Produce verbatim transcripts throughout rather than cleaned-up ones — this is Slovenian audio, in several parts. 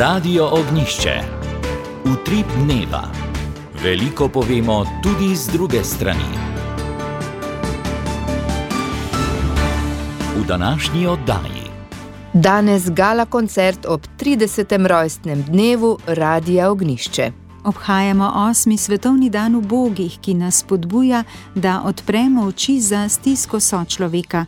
Radio Ognišče. Utrip dneva. Veliko povemo tudi z druge strani. V današnji oddaji. Danes gala koncert ob tridesetem rojstnem dnevu Radia Ognišče. Obhajamo osmi svetovni dan ubogih, ki nas spodbuja, da odpremo oči za stisko sočloveka.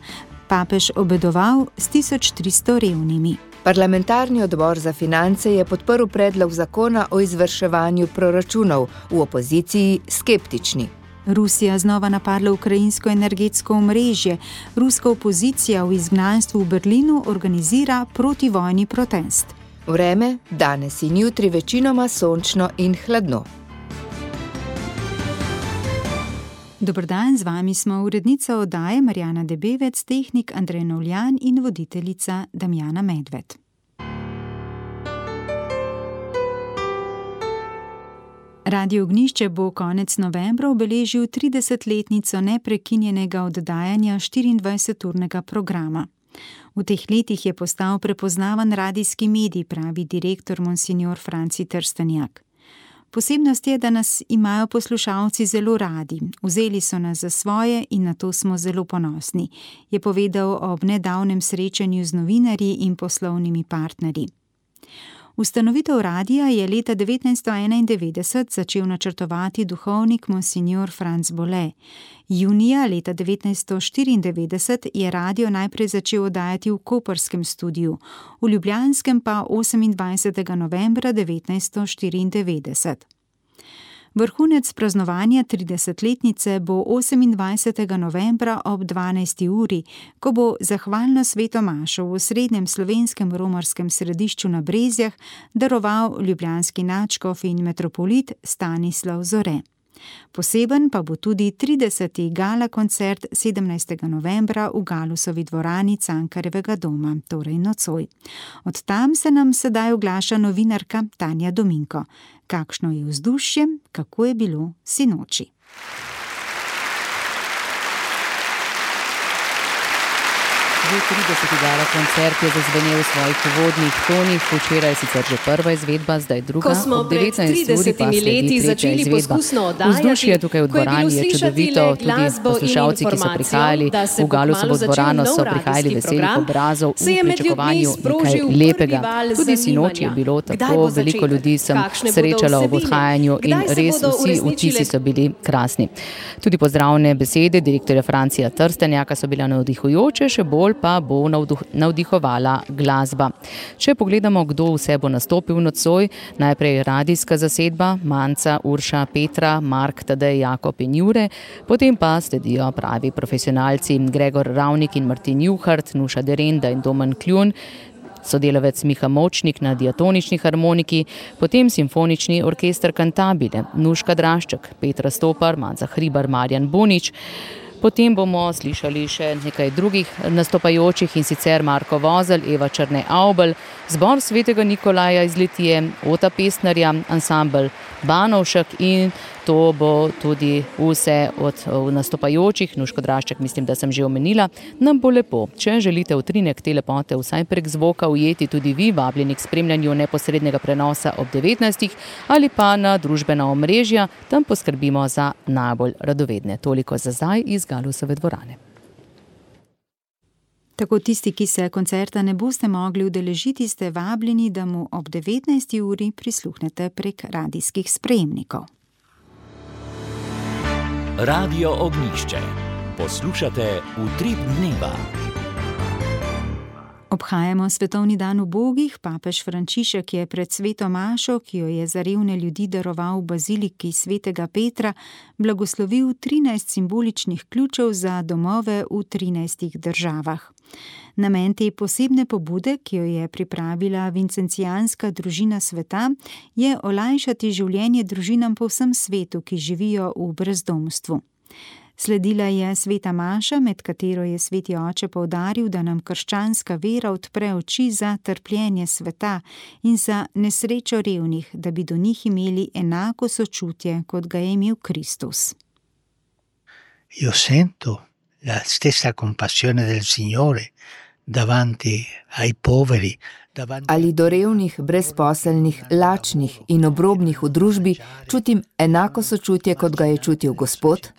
Papež obedoval s tisoč tristo revnimi. Parlamentarni odbor za finance je podprl predlog zakona o izvrševanju proračunov, v opoziciji skeptični. Rusija znova napadla ukrajinsko energetsko omrežje. Ruska opozicija v izgnanstvu v Berlinu organizira protivojni protest. Vreme danes in jutri večinoma sončno in hladno. Dober dan, z vami smo urednica oddaje Marjana Debevec, tehnik Andrej Novljan in voditeljica Damjana Medved. Radio Ognišče bo konec novembra obeležil tridesetletnico neprekinjenega oddajanja štiriindvajseturnega programa. V teh letih je postal prepoznavan radijski medij, pravi direktor monsignor Franci Trstenjak. Posebnost je, da nas imajo poslušalci zelo radi. Vzeli so nas za svoje in na to smo zelo ponosni, je povedal ob nedavnem srečanju z novinarji in poslovnimi partnerji. Ustanovitev radija je leta devetnajststo enaindevetdeset začel načrtovati duhovnik monsignor Franc Bole. Junija leta devetnajststo štiriindevetdeset je radio najprej začel oddajati v koprskem studiu, v ljubljanskem pa osemindvajsetega novembra devetnajststo štiriindevetdeset. Vrhunec praznovanja tridesetletnice bo osemindvajsetega novembra ob dvanajsti uri, ko bo zahvalno sveto mašo v osrednjem slovenskem romarskem središču na Brezjah daroval ljubljanski nadškof in metropolit Stanislav Zore. Poseben pa bo tudi trideseti gala koncert sedemnajstega novembra v Galusovi dvorani Cankarjevega doma, torej nocoj. Od tam se nam sedaj oglaša novinarka Tanja Dominko. Kakšno je vzdušje, kako je bilo sinoči? Že trideseti gala koncert je zazvenel v svojih uvodnih tonih, včeraj je sicer že prva izvedba, zdaj druga. Ko smo pred tridesetimi leti začeli poskusno oddajati, vzdušje tukaj v dvorani je čudovito, tudi poslušalci, ki so prihajali v Galusovo dvorano, so prihajali veselih obrazov v pričakovanju nekaj lepega. Tudi sinoči je bilo tako, veliko ljudi sem srečala ob odhajanju in res vsi vtisi so bili krasni. Tudi pozdravne besede direktorja Francija Trstenjaka so bile navdihujoče, še bolj pa bo navdihovala glasba. Če pogledamo, kdo vse bo nastopil nocoj, najprej radijska zasedba, Manca, Urša, Petra, Mark, Tadej, Jakob in Jure, potem pa sledijo pravi profesionalci Gregor Ravnik in Martin Juhart, Nuša Derenda in Domen Kljun, sodelavec Miha Močnik na diatonični harmoniki, potem simfonični orkester Cantabile, Nuška Drašček, Petra Stopar, Manca Hribar, Marjan Bonič. Potem bomo slišali še nekaj drugih nastopajočih, in sicer Marko Vozelj, Eva Črne-Avbelj, zbor svetega Nikolaja iz Litije, Ota Pestnerja, ansambel Banovšek, in to bo tudi vse od nastopajočih. Nuško Drašček, mislim, da sem že omenila, nam bo lepo. Če želite utrinek te lepote vsaj prek zvoka ujeti tudi vi, vabljeni k spremljanju neposrednega prenosa ob devetnajstih ali pa na družbena omrežja, tam poskrbimo za najbolj radovedne. Toliko za zdaj iz Galusove dvorane. Tako tisti, ki se koncerta ne boste mogli udeležiti, ste vabljeni, da mu ob devetnajsti uri prisluhnete prek radijskih sprejemnikov. Radio Ognišče. Poslušate Utrip dneva. Obhajamo svetovni dan ubogih. Papež Frančišek je pred sveto mašo, ki jo je za revne ljudi daroval v baziliki svetega Petra, blagoslovil trinajst simboličnih ključev za domove v trinajstih državah. Namen te posebne pobude, ki jo je pripravila Vincencijanska družina sveta, je olajšati življenje družinam po vsem svetu, ki živijo v brezdomstvu. Sledila je sveta maša, med katero je sveti oče poudaril, da nam krščanska vera odpre oči za trpljenje sveta in za nesrečo revnih, da bi do njih imeli enako sočutje, kot ga je imel Kristus. Io sento la stessa compassione del Signore davanti ai poveri, ali do revnih, brezposelnih, lačnih in obrobnih v družbi čutim enako sočutje, kot ga je čutil Gospod?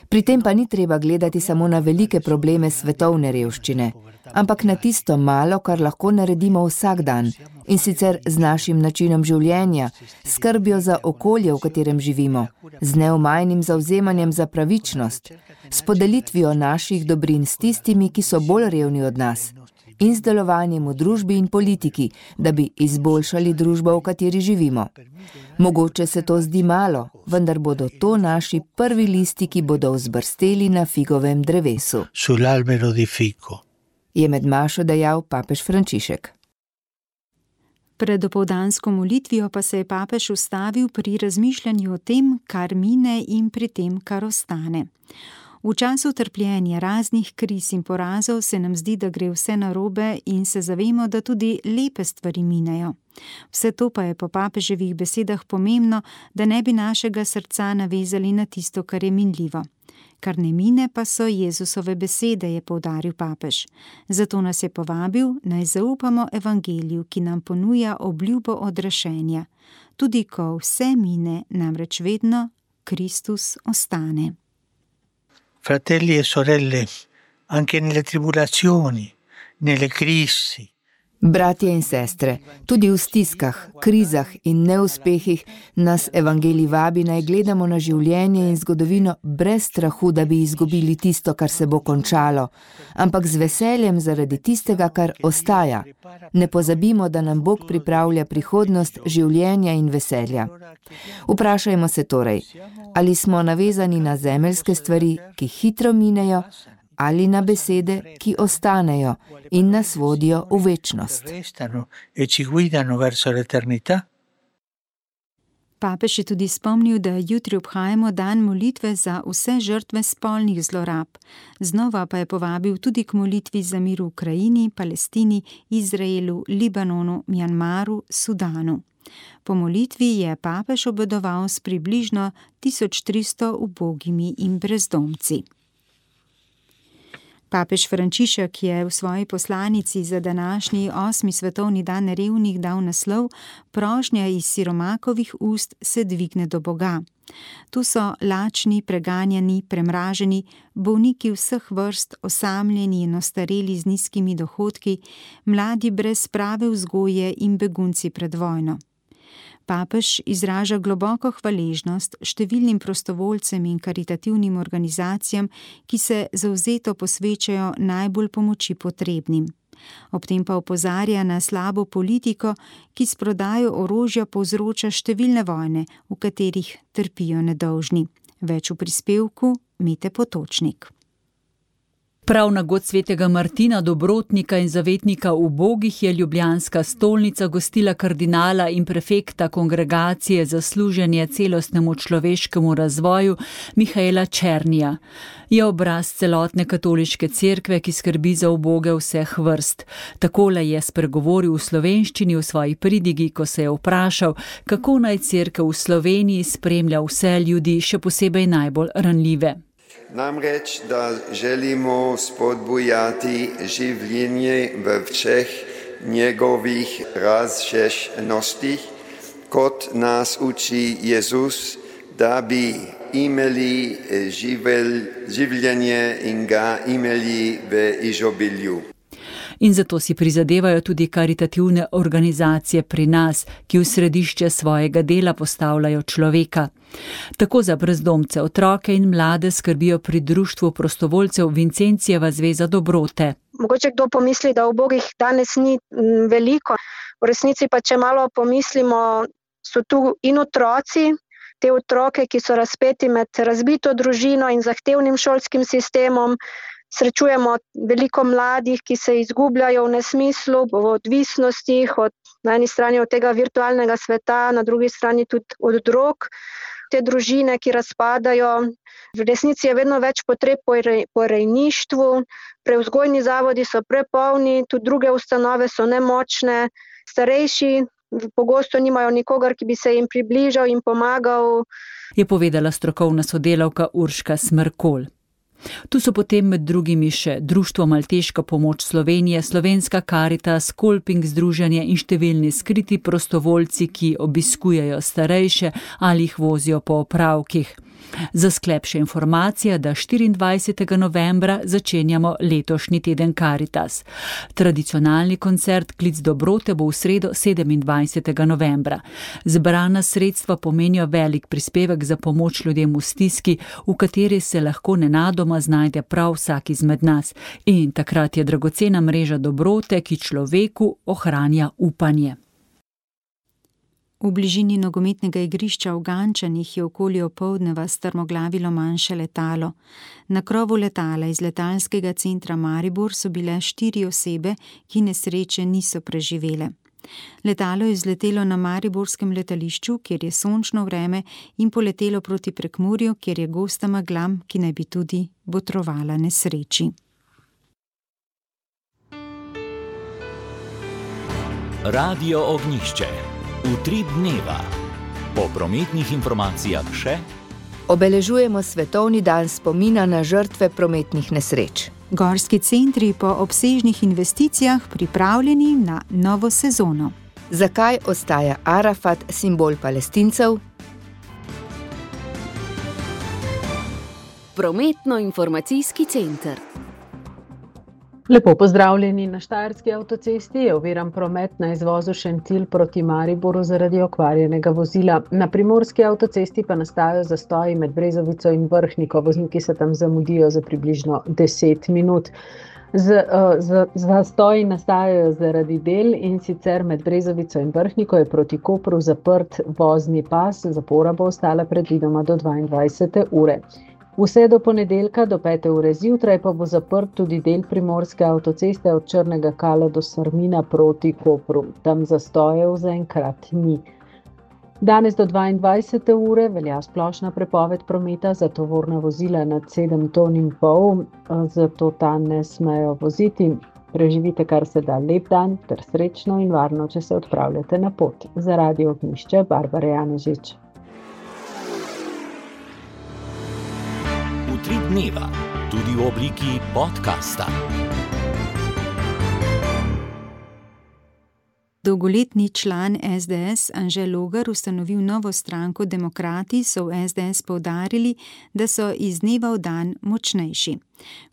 Pri tem pa ni treba gledati samo na velike probleme svetovne revščine, ampak na tisto malo, kar lahko naredimo vsak dan, in sicer z našim načinom življenja, skrbjo za okolje, v katerem živimo, z neomajnim zavzemanjem za pravičnost, s podelitvijo naših dobrin s tistimi, ki so bolj revni od nas, in z delovanjem v družbi in politiki, da bi izboljšali družbo, v kateri živimo. Mogoče se to zdi malo, vendar bodo to naši prvi listi, ki bodo vzbrsteli na figovem drevesu. Sull'albero di fico. Je med mašo dejal papež Frančišek. Pred dopoldansko molitvijo pa se je papež ustavil pri razmišljanju o tem, kar mine in pri tem, kar ostane. V času trpljenja raznih kriz in porazov se nam zdi, da gre vse narobe in se zavemo, da tudi lepe stvari minejo. Vse to pa je po papeževih besedah pomembno, da ne bi našega srca navezali na tisto, kar je minljivo. Kar ne mine pa so Jezusove besede, je poudaril papež. Zato nas je povabil, naj zaupamo evangeliju, ki nam ponuja obljubo odrešenja. Tudi ko vse mine, namreč vedno Kristus ostane. Fratelli e sorelle, anche nelle tribulazioni, nelle crisi. Bratje in sestre, tudi v stiskah, krizah in neuspehih nas evangelij vabi, naj gledamo na življenje in zgodovino brez strahu, da bi izgubili tisto, kar se bo končalo, ampak z veseljem zaradi tistega, kar ostaja. Ne pozabimo, da nam Bog pripravlja prihodnost življenja in veselja. Vprašajmo se torej, ali smo navezani na zemeljske stvari, ki hitro minejo, ali na besede, ki ostanejo in nas vodijo v večnost. Papež je tudi spomnil, da jutri obhajamo dan molitve za vse žrtve spolnih zlorab. Znova pa je povabil tudi k molitvi za mir v Ukrajini, Palestini, Izraelu, Libanonu, Mjanmaru, Sudanu. Po molitvi je papež obedoval s približno tisoč tristo ubogimi in brezdomci. Papež Frančišek je v svoji poslanici za današnji osmi svetovni dan revnih dal naslov Prošnja iz siromakovih ust se dvigne do Boga. Tu so lačni, preganjani, premraženi, bolniki vseh vrst, osamljeni in ostareli z nizkimi dohodki, mladi brez prave vzgoje in begunci pred vojno. Papež izraža globoko hvaležnost številnim prostovoljcem in karitativnim organizacijam, ki se zavzeto posvečajo najbolj pomoči potrebnim. Ob tem pa opozarja na slabo politiko, ki s prodajo orožja povzroča številne vojne, v katerih trpijo nedolžni. Več v prispevku Mete Potočnik. Prav na god svetega Martina, dobrotnika in zavetnika ubogih, je ljubljanska stolnica gostila kardinala in prefekta Kongregacije za služenje celostnemu človeškemu razvoju Mihaela Černija. Je obraz celotne katoliške cerkve, ki skrbi za uboge vseh vrst. Takole je spregovoril v slovenščini v svoji pridigi, ko se je vprašal, kako naj cerkev v Sloveniji spremlja vse ljudi, še posebej najbolj ranljive. Namreč, da želimo spodbujati življenje v vseh njegovih razsežnostih, kot nas uči Jezus, da bi imeli živel, življenje in ga imeli v izobilju. In zato si prizadevajo tudi karitativne organizacije pri nas, ki v središče svojega dela postavljajo človeka. Tako za brezdomce, otroke in mlade skrbijo pri društvu prostovoljcev Vincencijeva zveza dobrote. Mogoče kdo pomisli, da ubogih danes ni veliko. V resnici pa, če malo pomislimo, so tu in otroci, te otroke, ki so razpeti med razbito družino in zahtevnim šolskim sistemom. Srečujemo veliko mladih, ki se izgubljajo v nesmislu, v odvisnostih, od, na eni strani od tega virtualnega sveta, na drugi strani tudi od drog. Te družine, ki razpadajo, v resnici je vedno več potreb po, rej, po rejništvu, prevzgojni zavodi so prepolni, tudi druge ustanove so nemočne, starejši pogosto nimajo nikogar, ki bi se jim približal in pomagal. Je povedala strokovna sodelavka Urška Smrkolj. Tu so potem med drugimi še Društvo Malteška pomoč Slovenije, Slovenska Karitas, Kolping združenje in številni skriti prostovoljci, ki obiskujejo starejše ali jih vozijo po opravkih. Za sklep še informacija, da štiriindvajsetega novembra začenjamo letošnji teden Karitas. Tradicionalni koncert Klic dobrote bo v sredo sedemindvajsetega novembra. Zbrana sredstva pomenijo velik prispevek za pomoč ljudem v stiski, v kateri se lahko nenadoma znajde prav vsak izmed nas. In takrat je dragocena mreža dobrote, ki človeku ohranja upanje. V bližini nogometnega igrišča v Gančanih je okoli opoldneva strmoglavilo manjše letalo. Na krovu letala iz letalskega centra Maribor so bile štiri osebe, ki nesreče niso preživele. Letalo je vzletelo na mariborskem letališču, kjer je sončno vreme, in poletelo proti Prekmurju, kjer je gosta megla, ki naj bi tudi botrovala nesreči. Radio Ognjišče. Utrip dneva. Po prometnih informacijah še obeležujemo svetovni dan spomina na žrtve prometnih nesreč. Gorski centri po obsežnih investicijah pripravljeni na novo sezono. Zakaj ostaja Arafat simbol Palestincev? Prometno-informacijski center. Lepo pozdravljeni. Na Štajerski avtocesti je oviran promet na izvozu Šentilj proti Mariboru zaradi okvarjenega vozila. Na primorski avtocesti pa nastajajo zastoji med Brezovico in Vrhniko. Vozniki se tam zamudijo za približno deset minut. Z, z, zastoji nastajajo zaradi del, in sicer med Brezovico in Vrhniko je proti Kopru zaprt vozni pas, zapora bo ostala predvidoma do dvaindvajsete ure. Vse do ponedeljka do pete ure zjutraj pa bo zaprt tudi del primorske avtoceste od Črnega Kala do Sarmina proti Kopru. Tam zastojev zaenkrat ni. Danes do dvaindvajsete ure velja splošna prepoved prometa za tovorna vozila nad sedem ton in pol, zato ta ne smejo voziti. Preživite kar se da lep dan ter srečno in varno, če se odpravljate na pot. Za Radio Ognjišče, Barbara Janežič. Utrip dneva, tudi v obliki podcasta. Dolgoletni član es de es Anže Logar ustanovil novo stranko Demokrati, so v es de es poudarili, da so iz dneva v dan močnejši.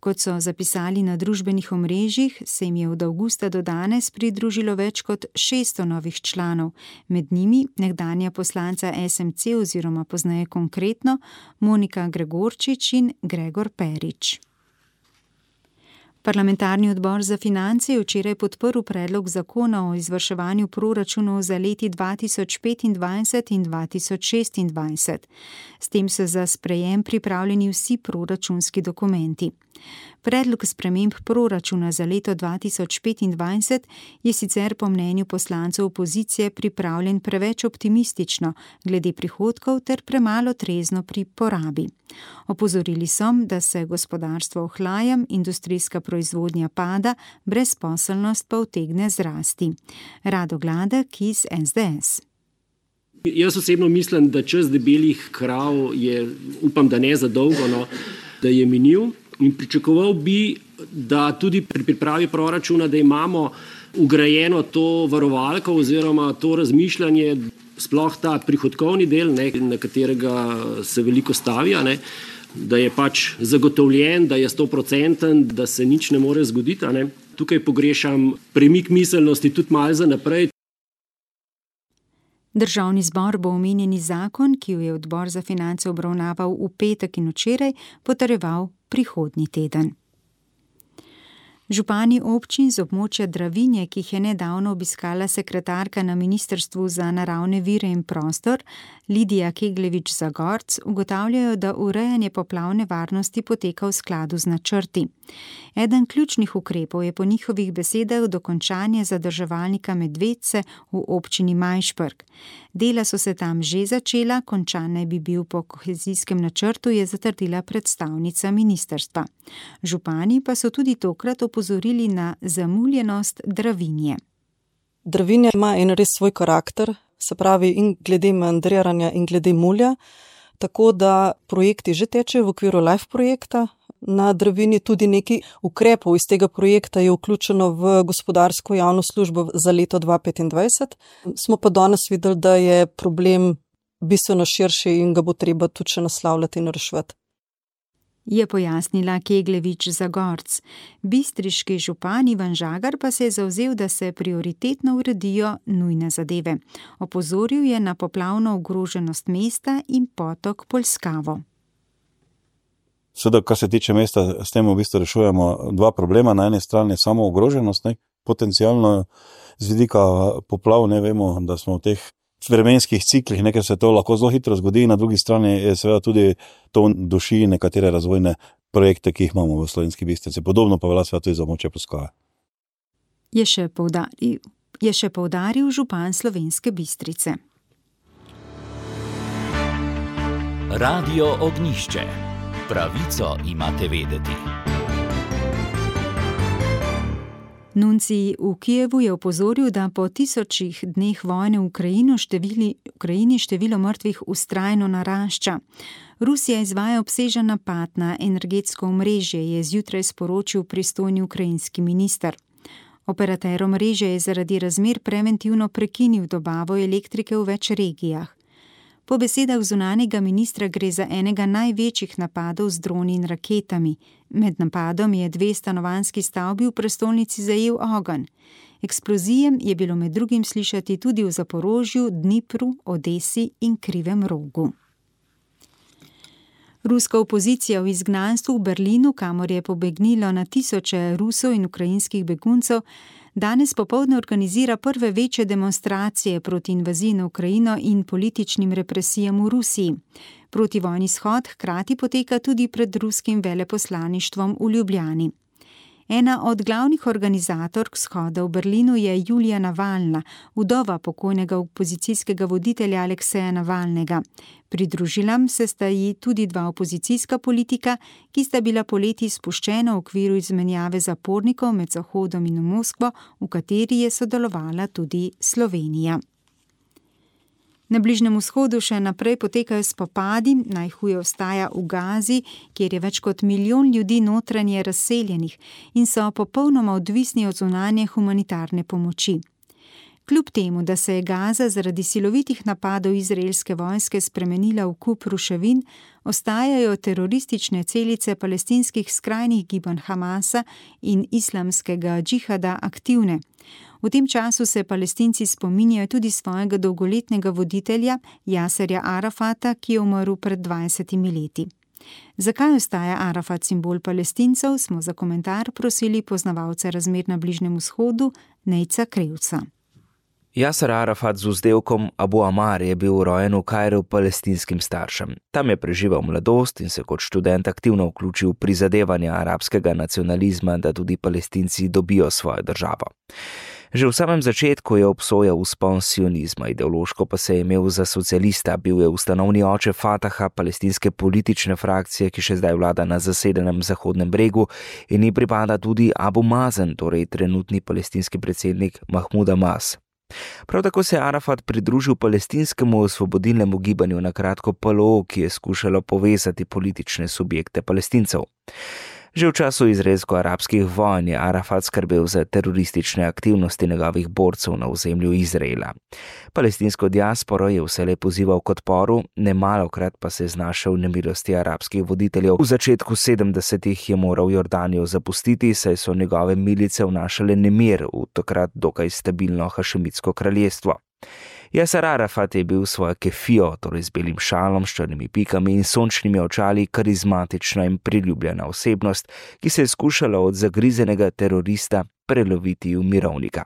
Kot so zapisali na družbenih omrežjih, se jim je od avgusta do danes pridružilo več kot šeststo novih članov, med njimi nekdanja poslanca es em ce oziroma pozneje Konkretno, Monika Gregorčič in Gregor Perič. Parlamentarni odbor za finance je včeraj podprl predlog zakona o izvrševanju proračunov za leti dva tisoč petindvajset in dva tisoč šestindvajset. S tem so za sprejem pripravljeni vsi proračunski dokumenti. Predlog sprememb proračuna za leto dva tisoč petindvajset je sicer po mnenju poslancev opozicije pripravljen preveč optimistično glede prihodkov ter premalo trezno pri porabi. Opozorili so, da se gospodarstvo ohlaja, industrijska proizvodnja pada, brezposelnost pa utegne zrasti. Rado Gladek iz es de es. Jaz osebno mislim, da čas debelih krav je, upam, da ne za dolgo, no, da je minil. In pričakoval bi, da tudi pri pripravi proračuna, da imamo ugrajeno to varovalko oziroma to razmišljanje, sploh ta prihodkovni del, ne, na katerega se veliko stavija, ne, da je pač zagotovljen, da je stoprocenten, da se nič ne more zgoditi. Ne. Tukaj pogrešam premik miselnosti tudi malo za naprej. Državni zbor bo omenjeni zakon, ki jo je odbor za finance obravnaval v petek in včeraj, potrjeval prihodnji teden. Župani občin z območja Dravinje, ki jih je nedavno obiskala sekretarka na Ministrstvu za naravne vire in prostor, Lidija Kegljevič-Zagorc, ugotavljajo, da urejanje poplavne varnosti poteka v skladu z načrti. Eden ključnih ukrepov je po njihovih besedah dokončanje zadrževalnika Medvedce v občini Majšperk. Dela so se tam že začela, končan naj bi bil po kohezijskem načrtu, je zatrdila predstavnica ministrstva. Župani pa so tudi tokrat opozorili na zamuljenost Dravinje. Dravinje ima en res svoj karakter, se pravi in glede meandriranja in glede mulja, tako da projekti že tečejo v okviru LIFE projekta. na Dravinji, tudi nekaj ukrepov iz tega projekta je vključeno v gospodarsko javno službo za leto dva tisoč petindvajset. Smo pa danes videli, da je problem bistveno širši in ga bo treba tudi še naslavljati in reševati. Je pojasnila Keglevič Zagorc. Bistriški župan Ivan Žagar pa se je zavzel, da se prioritetno uredijo nujne zadeve. Opozoril je na poplavno ogroženost mesta in potok Polskavo. Seveda, kar se tiče mesta, s tem v bistvu rešujemo dva problema. Na eni strani je samo ogroženost, ne, potencialno z vidika poplav, ne vemo, da smo v teh vremenskih ciklih, nekaj se to lahko zelo hitro zgodi, na drugi strani je seveda tudi to duši nekatere razvojne projekte, ki jih imamo v Slovenski Bistrici. Podobno pa velja seveda tudi za območje Polskave. Je še poudaril, je še poudaril župan Slovenske Bistrice. Radio Ognjišče. Pravico imate vedeti. Nuncij v Kijevu je opozoril, da po tisočih dneh vojne v Ukrajini števili, Ukrajini število mrtvih vztrajno narašča. Rusija izvaja obsežen napad na energetsko omrežje, je zjutraj sporočil pristojni ukrajinski minister. Operater omrežja je zaradi razmer preventivno prekinil dobavo elektrike v več regijah. Po besedah zunanjega ministra gre za enega največjih napadov z droni in raketami. Med napadom je dve stanovanjski stavbi v prestolnici zajel ogenj. Eksplozijem je bilo med drugim slišati tudi v Zaporožju, Dnipru, Odesi in Krivem Rogu. Ruska opozicija v izgnanstvu v Berlinu, kamor je pobegnilo na tisoče Rusov in ukrajinskih beguncev, danes popoldne organizira prve večje demonstracije proti invaziji na Ukrajino in političnim represijam v Rusiji. Protivojni shod hkrati poteka tudi pred ruskim veleposlaništvom v Ljubljani. Ena od glavnih organizatork shoda v Berlinu je Julija Navalna, vdova pokojnega opozicijskega voditelja Alekseja Navalnega. Pridružila se sta ji tudi dva opozicijska politika, ki sta bila poleti spuščena v okviru izmenjave zapornikov med Zahodom in Moskvo, v kateri je sodelovala tudi Slovenija. Na Bližnjem vzhodu še naprej potekajo spopadi, najhuje ostaja v Gazi, kjer je več kot milijon ljudi notranje razseljenih in so popolnoma odvisni od zunanje humanitarne pomoči. Kljub temu, da se je Gaza zaradi silovitih napadov izraelske vojske spremenila v kup ruševin, ostajajo teroristične celice palestinskih skrajnih gibanj Hamasa in islamskega džihada aktivne. V tem času se Palestinci spominjajo tudi svojega dolgoletnega voditelja Jaserja Arafata, ki je umrl pred dvajsetimi leti. Zakaj ostaja Arafat simbol Palestincev, smo za komentar prosili poznavalce razmer na Bližnjem vzhodu Nejca Krevca. Jaser Arafat z vzdevkom Abu Amar je bil rojen v Kairu palestinskim staršem. Tam je preživel mladost in se kot študent aktivno vključil v prizadevanja arabskega nacionalizma, da tudi Palestinci dobijo svojo državo. Že v samem začetku je obsojal vzpon sionizma, ideološko pa se je imel za socialista, bil je ustanovni oče Fataha, palestinske politične frakcije, ki še zdaj vlada na zasedenem Zahodnem bregu, in ji pripada tudi Abu Mazen, torej trenutni palestinski predsednik Mahmud Abbas. Prav tako se je Arafat pridružil palestinskemu osvobodilnemu gibanju, na kratko P L O, ki je skušalo povezati politične subjekte Palestincev. Že v času izraelsko-arabskih vojn je Arafat skrbel za teroristične aktivnosti njegovih borcev na ozemlju Izraela. Palestinsko diasporo je vselej pozival k odporu, nemalokrat pa se je znašel v nemilosti arabskih voditeljev. V začetku sedemdesetih je moral Jordanijo zapustiti, saj so njegove milice vnašale nemir v takrat dokaj stabilno hašemitsko kraljestvo. Jaser Arafat je bil svojo kefijo, torej z belim šalom, s črnimi pikami in sončnimi očali, karizmatična in priljubljena osebnost, ki se je skušala od zagrizenega terorista preloviti v mirovnika.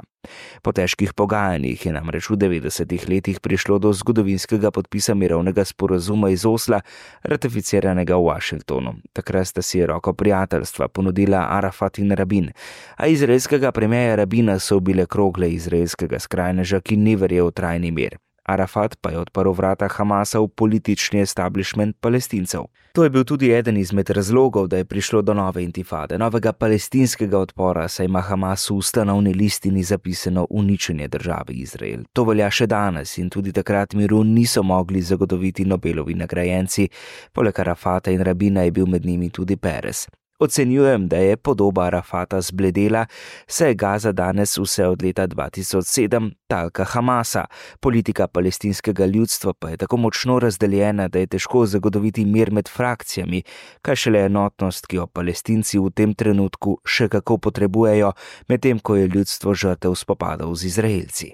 Po težkih pogajanjih je namreč v devetdesetih letih prišlo do zgodovinskega podpisa mirovnega sporazuma iz Osla, ratificiranega v Washingtonu. Takrat sta si roko prijateljstva ponudila Arafat in Rabin, a izraelskega premierja Rabina so bile krogle izraelskega skrajneža, ki ni verjel v trajni mir. Arafat pa je odprl vrata Hamasa v politični establishment Palestincev. To je bil tudi eden izmed razlogov, da je prišlo do nove intifade, novega palestinskega odpora, saj ima Hamas v ustanovni listini zapisano uničenje države Izrael. To velja še danes in tudi takrat miru niso mogli zagotoviti Nobelovi nagrajenci, poleg Arafata in Rabina je bil med njimi tudi Peres. Ocenjujem, da je podoba Arafata zbledela, saj je Gaza danes vse od leta dva tisoč sedem talka Hamasa. Politika palestinskega ljudstva pa je tako močno razdeljena, da je težko zagotoviti mir med frakcijami, kaj šele enotnost, ki jo Palestinci v tem trenutku še kako potrebujejo, medtem ko je ljudstvo žrtev spopadov z Izraelci.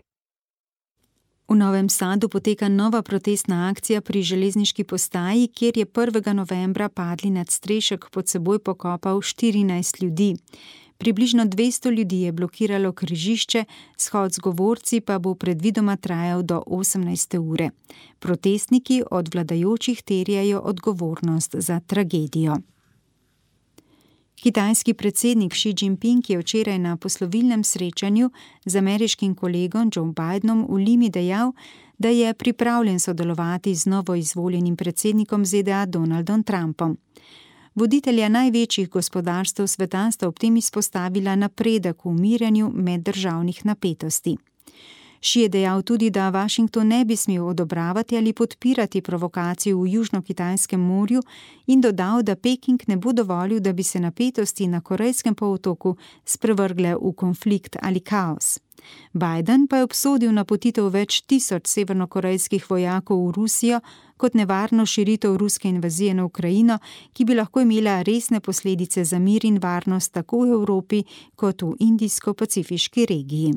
V Novem Sadu poteka nova protestna akcija pri železniški postaji, kjer je prvega novembra padli nadstrešek pod seboj pokopal štirinajst ljudi. Približno dvesto ljudi je blokiralo križišče, shod z govorci pa bo predvidoma trajal do osemnajste ure. Protestniki od vladajočih terjajo odgovornost za tragedijo. Kitajski predsednik Xi Jinping je včeraj na poslovilnem srečanju z ameriškim kolegom Joe Bidenom v Limi dejal, da je pripravljen sodelovati z novoizvoljenim predsednikom Z D A Donaldom Trumpom. Voditelja največjih gospodarstev sveta sta ob tem izpostavila napredek v umirjanju meddržavnih napetosti. Xi je dejal tudi, da Washington ne bi smel odobravati ali podpirati provokacij v Južno-Kitajskem morju in dodal, da Peking ne bo dovolil, da bi se napetosti na Korejskem polotoku sprevrgle v konflikt ali kaos. Biden pa je obsodil napotitev več tisoč severnokorejskih vojakov v Rusijo kot nevarno širitev ruske invazije na Ukrajino, ki bi lahko imela resne posledice za mir in varnost tako v Evropi kot v Indijsko-Pacifiški regiji.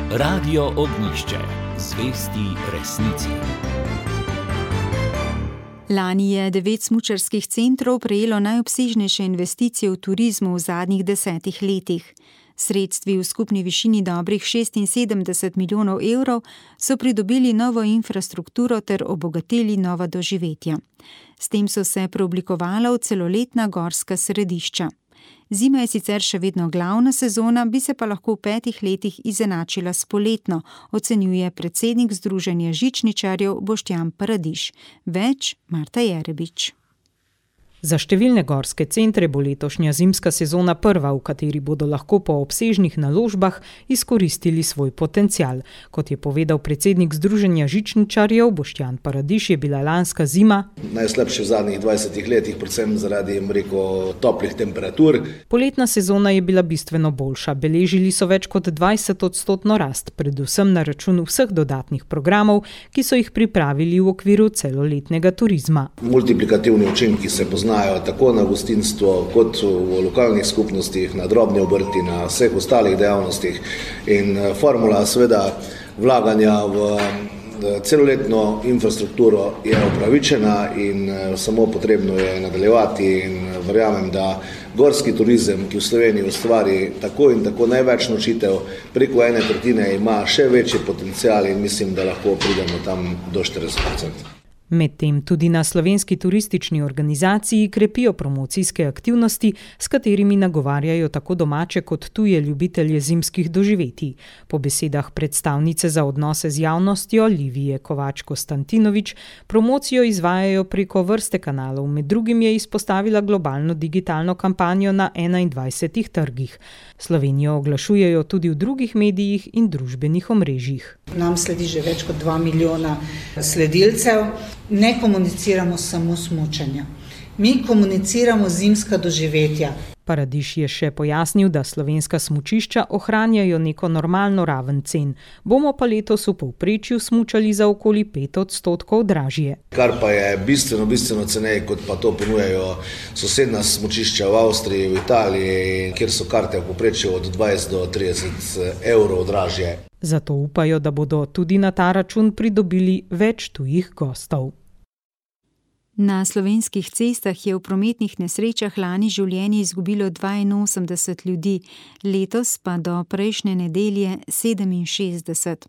Radio Ognjišče, zvesti resnici. Lani je devet smučarskih centrov prejelo najobsežnejše investicije v turizmu v zadnjih desetih letih. Sredstvi v skupni višini dobrih šestinsedemdeset milijonov evrov so pridobili novo infrastrukturo ter obogatili nova doživetja. S tem so se preoblikovala v celoletna gorska središča. Zima je sicer še vedno glavna sezona, bi se pa lahko v petih letih izenačila s poletno, ocenjuje predsednik Združenja žičničarjev Boštjan Paradiž. Več Marta Jerebič. Za številne gorske centre bo letošnja zimska sezona prva, v kateri bodo lahko po obsežnih naložbah izkoristili svoj potencial. Kot je povedal predsednik Združenja žičničarjev Boštjan Paradiž, je bila lanska zima najslabša v zadnjih dvajsetih letih, predvsem zaradi, rekel, toplih temperatur. Poletna sezona je bila bistveno boljša. Beležili so več kot dvajset odstotno rast, predvsem na račun vseh dodatnih programov, ki so jih pripravili v okviru celoletnega turizma. Multiplikativni učinki se poznajo tako na gostinstvo, kot v lokalnih skupnostih, na drobni obrti, na vseh ostalih dejavnostih. In formula seveda vlaganja v celoletno infrastrukturo je upravičena in samo potrebno je nadaljevati in verjamem, da gorski turizem, ki v Sloveniji ustvari tako in tako največ nočitev, preko ene tretjine ima še večji potencial in mislim, da lahko pridemo tam do štirideset procentov. Medtem tudi na Slovenski turistični organizaciji krepijo promocijske aktivnosti, s katerimi nagovarjajo tako domače kot tuje ljubitelje zimskih doživetij. Po besedah predstavnice za odnose z javnostjo Livije Kovač-Konstantinovič, promocijo izvajajo preko vrste kanalov, med drugim je izpostavila globalno digitalno kampanjo na enaindvajsetih trgih. Slovenijo oglašujejo tudi v drugih medijih in družbenih omrežjih. Nam sledi že več kot dva milijona sledilcev. Ne komuniciramo samo smučanja. Mi komuniciramo zimska doživetja. Paradiž je še pojasnil, da slovenska smučišča ohranjajo neko normalno raven cen. Bomo pa letos v povprečju smučali za okoli pet odstotkov dražje. Kar pa je bistveno, bistveno ceneje, kot pa to ponujajo sosedna smučišča v Avstriji, v Italiji, kjer so karte v povprečju od dvajset do trideset evrov dražje. Zato upajo, da bodo tudi na ta račun pridobili več tujih gostov. Na slovenskih cestah je v prometnih nesrečah lani življenje izgubilo dvainosemdeset ljudi, letos pa do prejšnje nedelje sedeminšestdeset.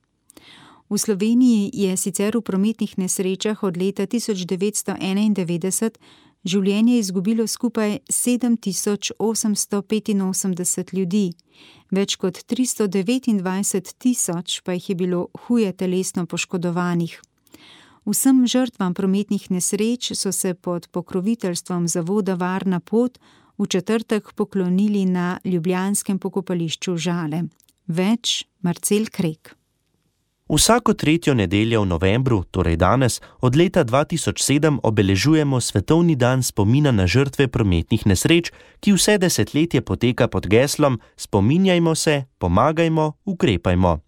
V Sloveniji je sicer v prometnih nesrečah od leta tisoč devetsto enaindevetdeset življenje izgubilo skupaj sedem tisoč osemsto petinosemdeset ljudi, več kot tristo devetindvajset tisoč pa jih je bilo huje telesno poškodovanih. Vsem žrtvam prometnih nesreč so se pod pokroviteljstvom zavoda Varna pot v četrtek poklonili na ljubljanskem pokopališču Žale. Več Marcel Krek. Vsako tretjo nedeljo v novembru, torej danes, od leta dva tisoč sedem obeležujemo Svetovni dan spomina na žrtve prometnih nesreč, ki vse desetletje poteka pod geslom Spominjajmo se, pomagajmo, ukrepajmo.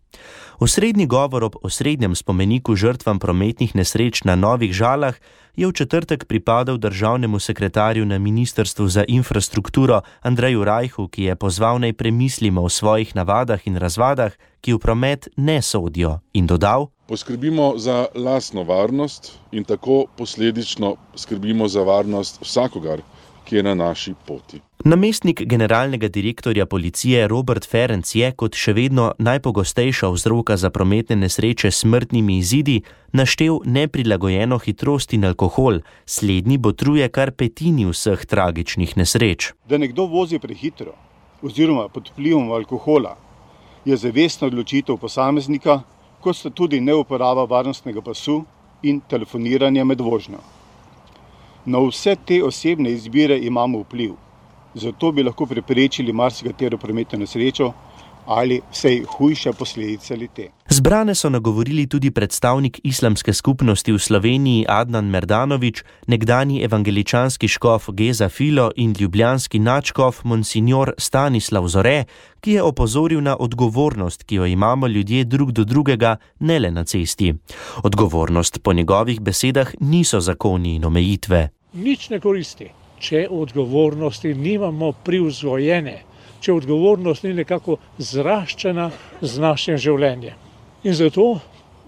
Osrednji govor ob osrednjem spomeniku žrtvam prometnih nesreč na Novih Žalah je v četrtek pripadal državnemu sekretarju na Ministrstvu za infrastrukturo Andreju Rajhu, ki je pozval naj premislimo o svojih navadah in razvadah, ki v promet ne sodijo, in dodal: Poskrbimo za lastno varnost in tako posledično skrbimo za varnost vsakogar, ki je na naši poti. Namestnik generalnega direktorja policije Robert Ferenc je, kot še vedno najpogostejša vzroka za prometne nesreče s smrtnimi izidi, naštel neprilagojeno hitrost in alkohol. Slednji botruje kar petini vseh tragičnih nesreč. Da nekdo vozi prehitro oziroma pod vplivom alkohola je zavestna odločitev posameznika, kot sta tudi neuporaba varnostnega pasu in telefoniranje med vožnjo. Na vse te osebne izbire imamo vpliv, zato bi lahko preprečili marsikatero prometno nesrečo ali vsej hujše posledice le-te. Zbrane so nagovorili tudi predstavnik islamske skupnosti v Sloveniji Adnan Merdanović, nekdanji evangeličanski škof Geza Filo in ljubljanski nadškof monsignor Stanislav Zore, ki je opozoril na odgovornost, ki jo imamo ljudje drug do drugega, ne le na cesti. Odgovornost po njegovih besedah niso zakoni in omejitve. Nič ne koristi, če odgovornosti nimamo privzgojene, če odgovornost ni nekako zraščena z našim življenjem. In zato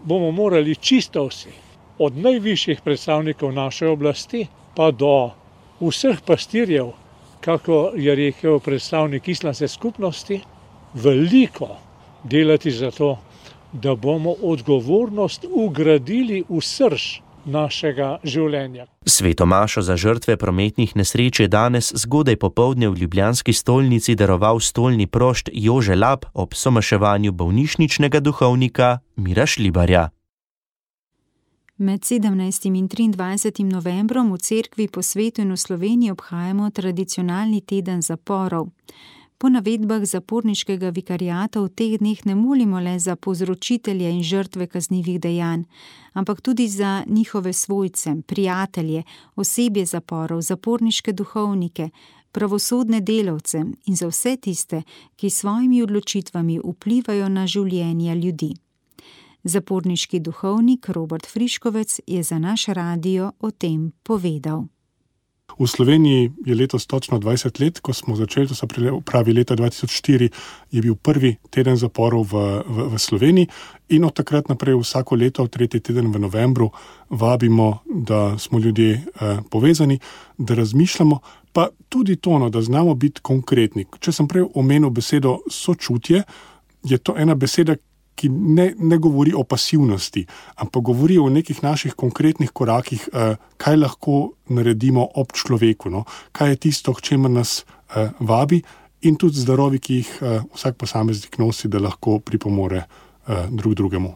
bomo morali čisto vsi, od najvišjih predstavnikov naše oblasti pa do vseh pastirjev, kako je rekel predstavnik islamske skupnosti, veliko delati za to, da bomo odgovornost ugradili v srž našega življenja. Svetomašo za žrtve prometnih nesreč je danes zgodaj popoldne v ljubljanski stolnici daroval stolni prošt Jože Lap ob somaševanju bolnišničnega duhovnika Mira Šlibarja. Med sedemnajstim in triindvajsetim novembrom v cerkvi po svetu in v Sloveniji obhajamo tradicionalni teden zaporov. Po navedbah zaporniškega vikariata v teh dneh ne molimo le za povzročitelje in žrtve kaznivih dejanj, ampak tudi za njihove svojce, prijatelje, osebje zaporov, zaporniške duhovnike, pravosodne delavce in za vse tiste, ki s svojimi odločitvami vplivajo na življenja ljudi. Zaporniški duhovnik Robert Friškovec je za naš radio o tem povedal. V Sloveniji je letos točno dvajset let, ko smo začeli, to se pravi leta dva tisoč štiri, je bil prvi teden zaporov v, v, v Sloveniji in od takrat naprej vsako leto, tretji teden v novembru, vabimo, da smo ljudje eh, povezani, da razmišljamo, pa tudi to, no, da znamo biti konkretni. Če sem prej omenil besedo sočutje, je to ena beseda, ki ne, ne govori o pasivnosti, ampak govori o nekih naših konkretnih korakih, eh, kaj lahko naredimo ob človeku, no? Kaj je tisto, k čemer nas eh, vabi in tudi zdarovi, ki jih eh, vsak posameznik nosi, da lahko pripomore eh, drug drugemu.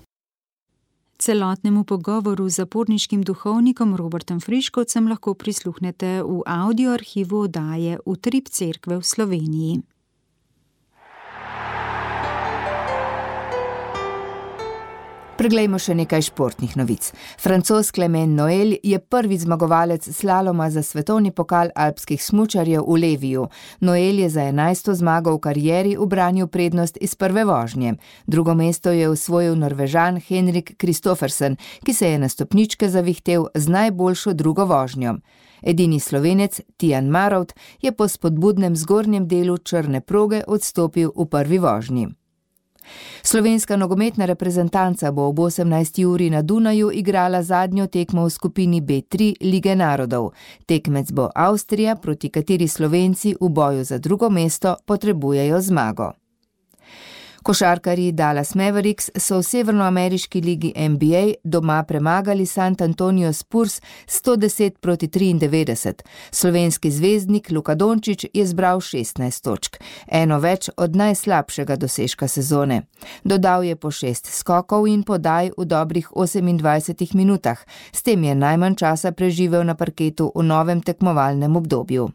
Celotnemu pogovoru z zaporniškim duhovnikom Robertom Friškovcem lahko prisluhnete v audio arhivu oddaje Utrip cerkve v Sloveniji. Preglejmo še nekaj športnih novic. Francoz Clement Noël je prvi zmagovalec slaloma za svetovni pokal alpskih smučarjev v Leviju. Noël je za enajsto zmago v karieri ubranil prednost iz prve vožnje. Drugo mesto je osvojil Norvežan Henrik Kristoffersen, ki se je na stopničke zavihtel z najboljšo drugo vožnjo. Edini Slovenec Tijan Marovt je po spodbudnem zgornjem delu črne proge odstopil v prvi vožnji. Slovenska nogometna reprezentanca bo ob osemnajsti uri na Dunaju igrala zadnjo tekmo v skupini B tri Lige narodov. Tekmec bo Avstrija, proti kateri Slovenci v boju za drugo mesto potrebujejo zmago. Košarkarji Dallas Mavericks so v severnoameriški ligi N B A doma premagali San Antonio Spurs sto deset proti triindevetdeset. Slovenski zvezdnik Luka Dončić je zbral šestnajst točk, eno več od najslabšega dosežka sezone. Dodal je po šest skokov in podaj v dobrih osemindvajsetih minutah, s tem je najmanj časa preživel na parketu v novem tekmovalnem obdobju.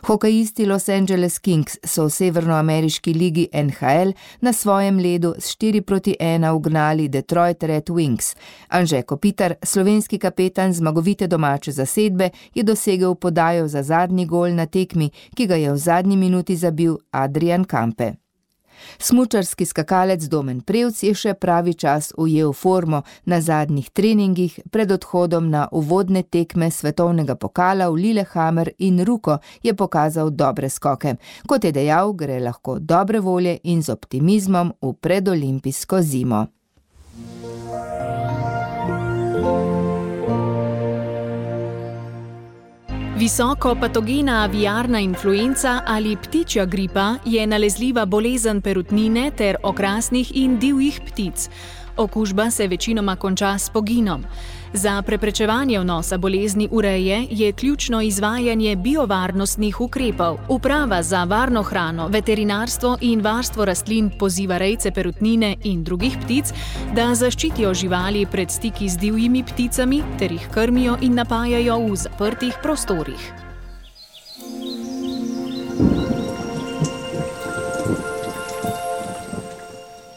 Hokejisti Los Angeles Kings so v severnoameriški ligi N H L na svojem ledu s štiri proti ena ugnali Detroit Red Wings. Anže Kopitar, slovenski kapetan zmagovite domače zasedbe, je dosegel podajo za zadnji gol na tekmi, ki ga je v zadnji minuti zabil Adrian Kampe. Smučarski skakalec Domen Prevc je še pravi čas ujel formo. Na zadnjih treningih pred odhodom na uvodne tekme svetovnega pokala v Lillehammer in Ruko je pokazal dobre skoke. Kot je dejal, gre lahko dobre volje in z optimizmom v predolimpijsko zimo. Visoko patogena aviarna influenca ali ptičja gripa je nalezljiva bolezen perutnine ter okrasnih in divjih ptic. Okužba se večinoma konča s poginom. Za preprečevanje vnosa bolezni v reje je ključno izvajanje biovarnostnih ukrepov. Uprava za varno hrano, veterinarstvo in varstvo rastlin poziva rejce perutnine in drugih ptic, da zaščitijo živali pred stiki z divjimi pticami ter jih krmijo in napajajo v zaprtih prostorih.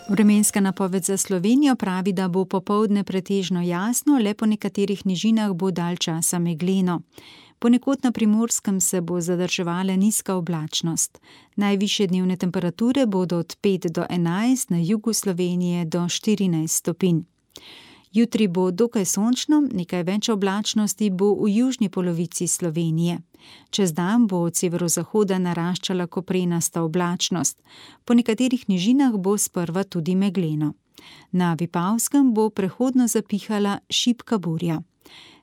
Vremenska napoved za Slovenijo pravi, da bo popoldne pretežno jasno, le po nekaterih nižinah bo dalj časa megleno. Ponekod na Primorskem se bo zadrževala nizka oblačnost. Najvišje dnevne temperature bodo od pet do enajst, na jugu Slovenije do štirinajst stopinj. Jutri bo dokaj sončno, nekaj več oblačnosti bo v južni polovici Slovenije. Čez dan bo od severozahoda naraščala koprenasta oblačnost. Po nekaterih nižinah bo sprva tudi megleno. Na Vipavskem bo prehodno zapihala šibka burja.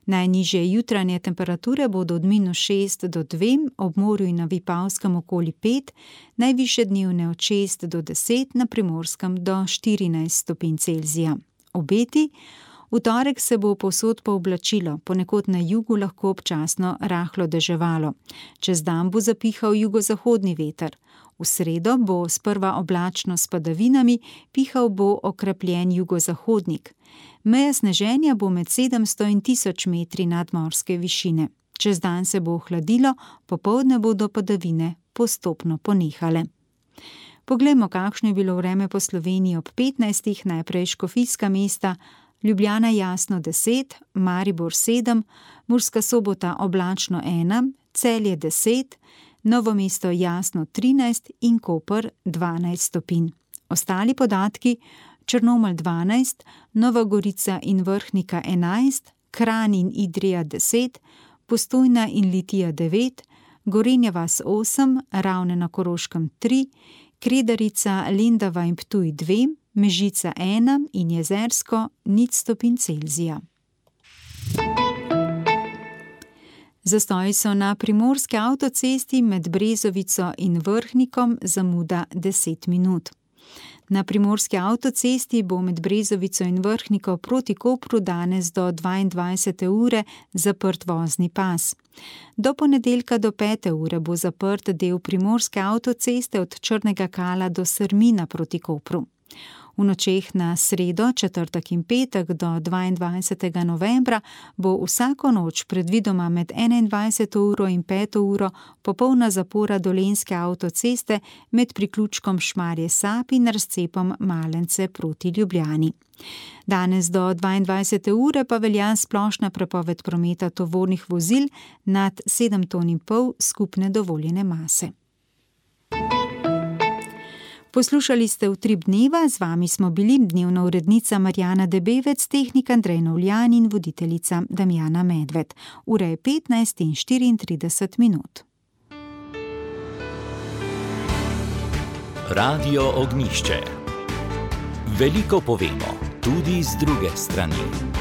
Najnižje jutranje temperature bodo od minus šest do dve, ob morju in na Vipavskem okoli pet, najvišje dnevne od šest do deset, na Primorskem do štirinajst stopinj Celzija. Obeti: v torek se bo povsod pooblačilo, ponekod na jugu lahko občasno rahlo deževalo. Čez dan bo zapihal jugozahodni veter. V sredo bo sprva oblačno s padavinami, pihal bo okrepljen jugozahodnik. Meja sneženja bo med sedemsto in tisoč metri nadmorske višine. Čez dan se bo ohladilo, popoldne bodo padavine postopno ponehale. Poglejmo, kakšno je bilo vreme po Sloveniji ob petnajstih, najprej škofijska mesta, Ljubljana jasno deset, Maribor sedem, Murska Sobota oblačno ena, Celje deset, Novo mesto jasno trinajst in Koper dvanajst stopinj. Ostali podatki: Črnomelj dvanajst, Nova Gorica in Vrhnika enajst, Kranj in Idrija deset, Postojna in Litija devet, Gorenja vas osem, Ravne na Koroškem tri, Kredarica, Lendava in Ptuj dve, Mežica ena in Jezersko nič stopinj Celzija. Zastoji so na primorski avtocesti med Brezovico in Vrhnikom, zamuda deset minut. Na primorski avtocesti bo med Brezovico in Vrhnikom proti Kopru danes do dvaindvajsete ure zaprt vozni pas. Do ponedeljka do pete ure bo zaprt del primorske avtoceste od Črnega Kala do Srmina proti Kopru. V nočeh na sredo, četrtek in petek do dvaindvajsetega novembra bo vsako noč predvidoma med enaindvajseto uro in peto uro popolna zapora Dolenjske avtoceste med priključkom Šmarje Sap in razcepom Malence proti Ljubljani. Danes do dvaindvajsete ure pa velja splošna prepoved prometa tovornih vozil nad sedem ton in pol skupne dovoljene mase. Poslušali ste Utrip dneva, z vami smo bili dnevna urednica Marjana Debevec, tehnik Andrej Novljan in voditeljica Damjana Medved. Ura je petnajst in štiriintrideset minut. Radio Ognjišče. Veliko povemo, tudi z druge strani.